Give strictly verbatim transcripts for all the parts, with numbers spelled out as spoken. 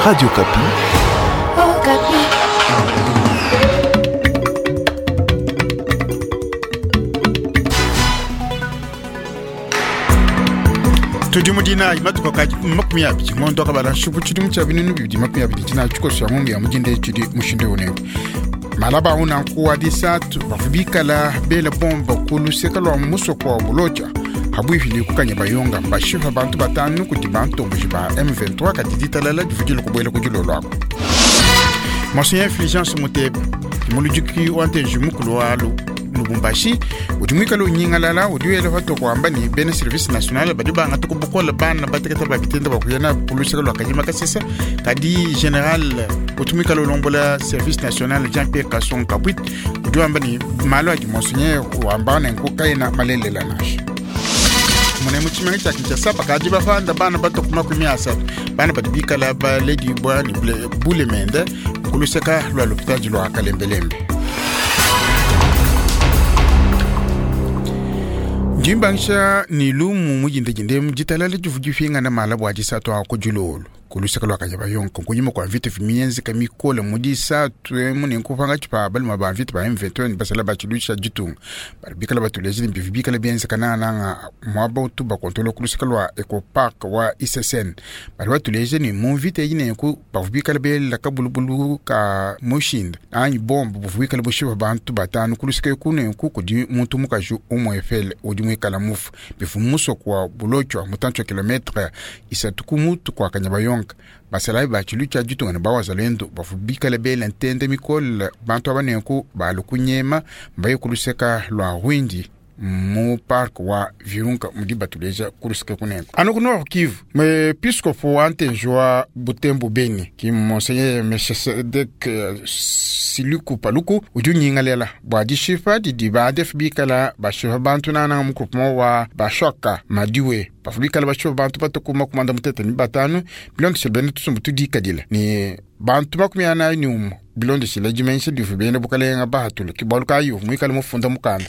Radio Okapi. Okapi. Tudi mu dinayi matuku ka makumi abidi ngondo akabala nshupu tshidimu tshia binunu bibidi makumi abidi tshina tshikoso ya ngongo ya mudinda tshidi mushindu unengu malaba una nkuwa disatu bavu bikala bela bomba ku luseka lwa musoko wa Buloja habwihili kukanya bayonga bashifa bantu batanu kuti bantomboji ba M vingt-trois kati ditalala divudile kubwela kudilo lwako. Monseigneur Fulgence Muteba muludiki wa ntenji mukulu wa Lubumbashi udi mwikala unyingalala udi wela fato kwamba ni bene service national badi banga tukubukola bana bateketa babitenda bakuyana kuluseka lwa kanyima kasesa kadi general udi mwikala ulombola service national Jean-Pierre Kasson Kabwit udi wamba ni malo adi monseigneur wamba nenku kaina malelela nasha. Mune mu tshimenga tshia Kinshasa bakadi bafanda bana bato ku makumi asatu bana badi bikala baledibwa ni bulemende kuluseka lwa lopitadi lwa Kalembelembe. Jimbangsha ni lumu mujindejinde mjitalale juvujifinga na malabu ajisatu a kujululu kuluseka lwa Kanyabayonga kunyuma kwa vita vimienzi kamikola mudisatu mune nkupanga chipa balima ba vita ba M vingt-trois basala bachilusha jitunga baribikala batulezi mbivibikala bienzi kanana mwaba utuba kontrolo kuluseka lwa Eco Park wa I S S N bari batulezi ni mu vita yine ku bavubikala bela kabulubulu ka mushinda anyi bomba buvubikala bushiba bantu batanu kuluseka kune ku kudi muntu mukaju umwefele udi mwikala mufu bifumuso kwa Bulochwa mutancho kilometre isatu kumutu kwa Kanyabayonga basalayi bachilu cha jitunga ne bawazalendo bafubikala bela ntende mikole bantu abanenku balukunyema mbaye kuluseka lwa Rwindi mu park wa Virunga mudi batuleja kuluseka kunenku anu ku Nord Kivu mwepiskopo wa ntenji wa Butembo Beni ki monseigneur Melchisedek Siluku Paluku udi unyingalela bua dishipa didi badefu bikala bashipa bantu nana mu groupement wa Bashoka Madiwe bafubikala bashipa bantu batukuma kumanda mutete ni batanu bilondeshile bene tusumbu tudikadila ni bantu makumi anayi ni umu bilondeshile dimension divu bene bukalenga bahatulu kibalu kayo mwikala mufunda mukanda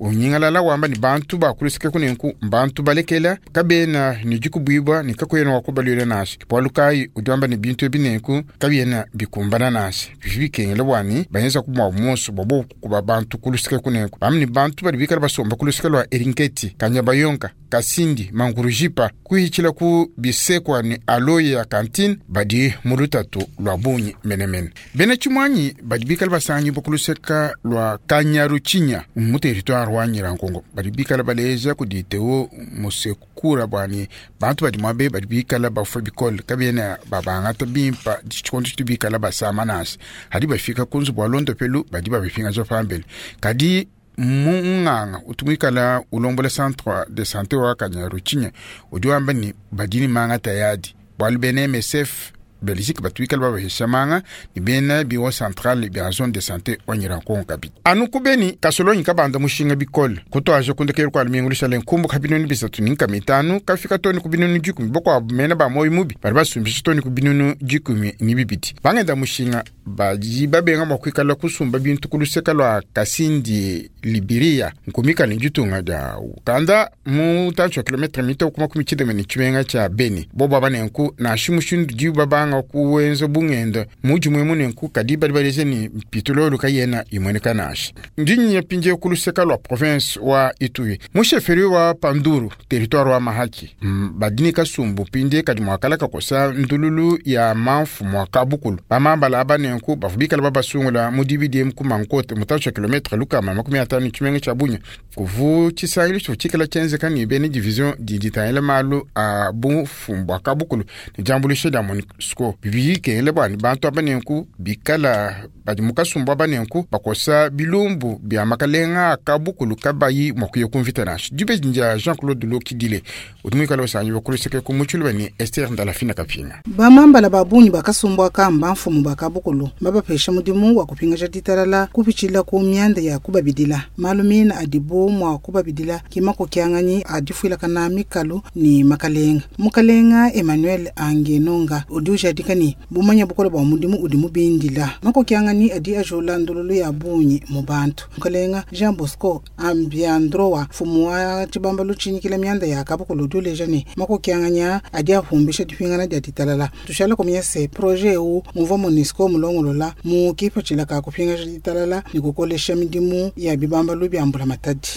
unyingalala wamba ni bantu bakulusike kunenku bantu balekela kabena ni jikubwibwa ni kakwena wakubalwile nasi kibalu kayi udi wamba ni bintu ebinenku kabyena bikumbana nasi bibikengele bwani bayenza kumwa musu bobo kuba bantu kulusike kunenku bamni ni bantu bali bikala basomba kulusike lwa Eringeti Kanyabayonga Kasindi Mangurujipa kuhichila ku bisekwa ni aloye ya kantine badi mulutatu lwa bunyi menemene bene chimwanyi badi bikala basanyi bokuluseka lwa Kanyaruchinya mu territoire wa Nyirangongo badi bikala baleja kuditeo musekura bwani bantu badi mwabe badi bikala bafa bikole kabyena babangata bimpa chikondo chibikala basama nasi hadi bafika kunzu bwa londo pelu badi babipinga jo pambele kadi munganga utumikala ulombola centre de santé wa Kanyaruchinya udi wamba ni badini manga tayadi bwalu bene M S F Belgique batuikala babahesha manga ni bena bureau central bya zone de santé wa Nyirangongo kabiti anu kubeni kasolonyi kabanda mushinga bikole kutwaje kundekera kwa mingulisha lenkumbu kabinoni bisatu ninka mitanu kafika toni kubinoni jikumi bokwa mena ba moyo mubi bari basumbisha toni kubinoni jikumi ni bibiti bangenda mushinga baji babenga makwikala kusumba bintu kuluseka lwa Kasindi Liberia nkumika ni jitunga da Uganda mu tancho kilometre mito kuma kumichide meni chimenga cha Beni bobo abanenku na shimushindu jiba banga kuwenza bungenda muji mwemu nenku kadi bali baleze ni pitololo kayena imweneka nashi ndinyi yapinje kuluseka lwa province wa Ituri musheferi wa Panduru territoire wa Mahaki badini kasumbu pinde kadi mwakala kakosa ndululu ya manfu mwakabukulu bamambala abanenku bafubikala babasungula mu D B D M ku mankote mutacho kilometre lukama makumi atanu chimenga cha Bunya kuvu chisangilo chikala chenzeka ni bene division diditayela malu a bufumbwa kabukulu ni jambulishe da MONUSCO bibikele bwani bantu abanenku bikala badi mukasumbu abanenku bakosa bilumbu bya makalenga kabukulu kabayi mwakuye kumvita nashi dibe nja Jean-Claude Lokidile utumikala osanyi bakuluseke ku muchulu bani Esther Ndalafina Kapinga bamambala babunyi bakasumbwa kamba mfumu bakabukulu kabukulu. Babapesha mudimu wa kupingaja ditalala kupitshila ku mianda ya kubabidila. Malu mina adibo mwa kubabidila kimakokyanganyi adifuilakana mikalu ni makalenga. Mukalenga Emmanuel Angenonga udi ujadika ni bumanya bukola bwa mudimu udi mubindila. Makokyangani adi ajola ndululu ya bunyi mu bantu. Mukalenga Jean Bosco Ambiandrowa fumu wa tshibamba lutshinyikila mianda ya kabukulu udi uleja ni makokyanganya adi afumbisha dipingana dia ditalala. Tushala kumenya se projet eu muvua MONUSCO mulongolola mu kipatshila ka kupingaja ditalala ni kukolesha midimu ya bibambalu bya mbula matadi.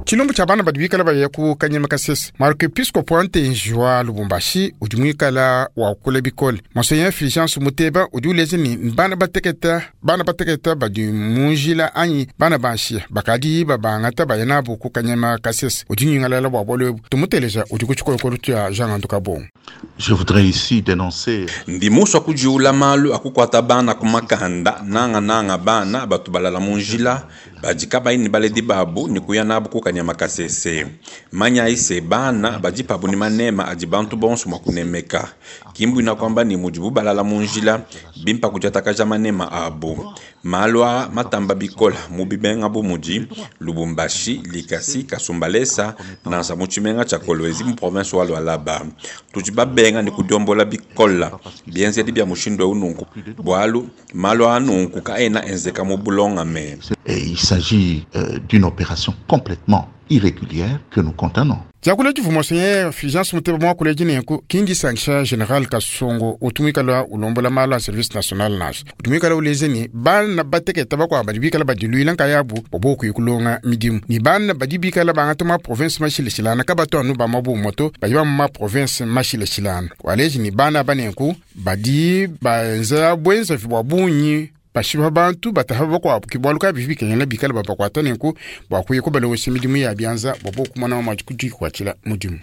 Tshilumbu tshia bana badi bikala baya ku Kanyama Kasese. Marc-Episcopo Antenji wa Lubumbashi udi muikala wa kula bikole. Monseigneur Fulgence Muteba udi uleja ni bana bateketa, bana bateketa badi munjila anyi bana banshia bakadi babangata baya nabo ku Kanyama Kasese. Udi nyingalala bua bualu ebu. Tumuteleja udi ku tshikolokolo tshia Jean Anduka Bongo. Je voudrais ici dénoncer Ndimuswa kujiula malu akukwata bana kumakanda nanga nanga bana batu balala munjila badi kabayi baledi babu ni kuya nabu ku Kanyama Kasese. Manya ise bana badi pabu ni manema adi bantu bonso mwa kunemeka. Kimbu ina kwamba ni mujibu balala munjila bimpa kujatakaja manema abu. Malwa matamba bikola mubibenga bu muji Lubumbashi Likasi Kasumbalesa nansa muchimenga cha Kolwezi mu province wa Lualaba. Tuji babenga ni kudiombola bikola bienzedi bya mushindo ununku bwalu malwa anunku kaena enzeka mu bulonga me. Et il s'agit euh, d'une opération complètement irrégulière que nous condamnons. Diakula divu Monseigneur Fulgence Muteba mwakula dinenku kindi sanction général Kasongo utumikala ulombola mala service national nash utumikala ulezeni bana bateketa bakwa badi bikala badiluila nkayabu bobo kuikulonga midimu ni bana badi bikala bangata ma province mashileshilana kabato anu ba mabu moto badi ba ma province mashileshilana waleji ni bana banenku badi baenza bwenza bwa bunyi bashiba bantu bataha bakwabo kibwaluka bivi bikenyana bikala babakwata nenku bwakwiye kubalowesa midimu ya byanza bobo kumwana wa maji kujikwatshila mudimu.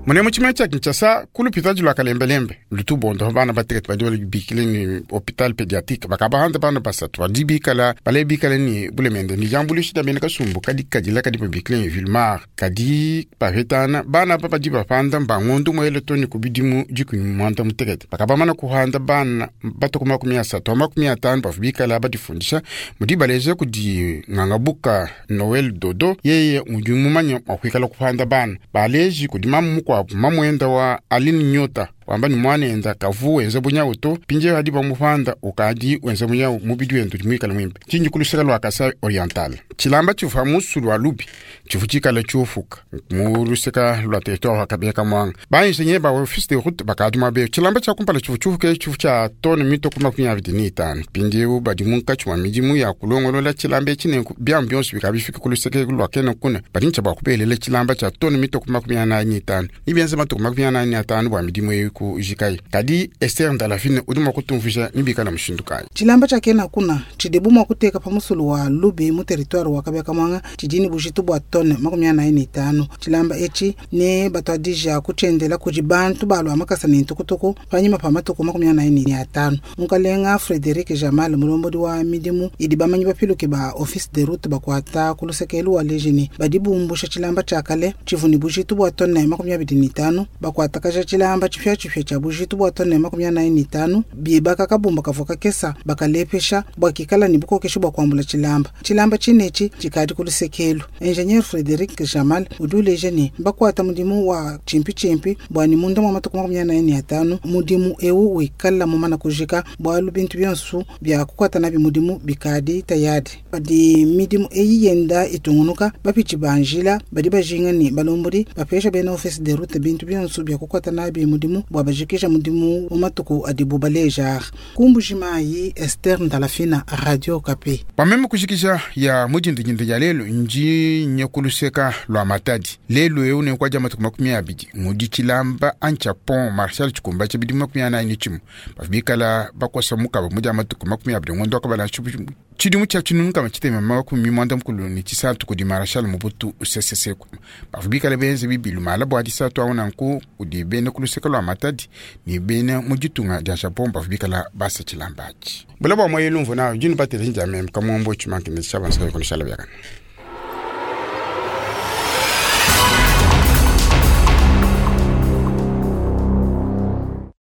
Mune mu tshimene tshia Kinshasa ku lupitadi lwa Kalembelembe lutubondo bana batekete badi balubikile ni hôpital pédiatrique bakabahanda bana basatu badi bikala bale bikala ni bulemende ni jambulishi da bena kasumbu kadi kadila kadi babikile ni Vilmar kadi pavetana bana pa badi bapanda mbangondo mwele toni kubidimu dikumi mwanda mutekete bakabamana kuhanda bana batuku makumi asatu makumi atano bavu bikala badifundisha mudi baleze kudi ngangabuka Noel Dodo yeye udi mumanya mwakwikala kuhanda bana baleji kudi mamu kwa mamwenda wa Aline Nyota wamba ni mwana enda kavu wenze bunyawu to pinje hadi bamupanda ukadi wenze bunyawu mubidi wendu mwikala mwimbe chinji kuluseka lwa Kasai Oriental chilamba chifa musulu wa lubi chifu chikala chufuka muluseka lwa territoire wa Kabeka Mwanga bainjenye ba office de route bakadi mabe chilamba cha kumpala chifu chufuke chifu cha tone mito kuma kunya vidini itano pinje badi munkachi wa midimu ya kulongolola chilamba chine byambyonso bikabifika kuluseka lwa kena kuna badi ncha bakubelele chilamba cha tone mito kuma kunya na itano nibyenze matuku makumi anani na atano bwa midimu eyi ku jikai kadi Esther Ndalafine udi mua kutumvuija nibikala mushindu kayi. Tshilamba tshia kena kuna tshidibu mua kuteka pa musulu wa lubi mu territoire wa Kabeka Mwanga tshidini bujitu bua tone makumi anayi ne itanu. Tshilamba etshi ne batuadija kutshiendela kudi bantu balua makasa ne ntukutuku panyima pa matuku makumi anayi ne atanu. Mukalenga Frederic Jamal mulombodi wa midimu idi bamanyi bapiluke ba office de route bakuata ku lusekelu wa lejini badi bumbusha tshilamba tshia kale tshivuni bujitu bua tone makumi abidi ne itanu bakuatakaja tshilamba tshipia tshipia tshia bujitu bua tone makumi anayi ne itanu bibaka kabumba kavua kakesa bakalepesha bua kikala ne bukokeshi bua kuambula tshilamba. Tshilamba tshinetshi tshikadi ku lusekelu. Ingenieur Frederic Jamal udi uleja ne bakuata mudimu wa tshimpi bua ni munda mwa matuku makumi anayi ne atanu mudimu ewu wikala mumana kujika bualu bintu bionso bia kukuata nabi mudimu bikadi tayadi. Padi midimu eyi yenda itungunuka bapitshi banjila badi bajinga ne balombodi bapesha bena office de route bintu bionso bia kukuata nabi mudimu bua bajikisha mudimu mu matuku adibu baleja. Kumbujimayi Esther Ndalafina, Radio Okapi. Pameme kujikisha ya mudindindindi ya lelo nji nyekuluseka lwa Matadi lelo eu nenkwaja matuku makumi abidi ngudi tshilamba ancha pont Marshal Tshikumba tshibidi makumi anayi ne tshimue bavibikala bakosa mukaba mudi matuku makumi abidi ngondo akabala tshidimu tshia tshinunu kama tshitema makumi mwanda mukulu ne tshisatu kudi Marshal Mobutu Sese Seko bavibikala benze bibilu mala bua disatu awu nanku kudi bene kuluseka lwa Matadi ni bene muditunga dia Japon bavibikala basa tshilamba atshi bula bua moyelu mvuna jini batele njameme kamombo tshimankine tshabansa konishala byakana.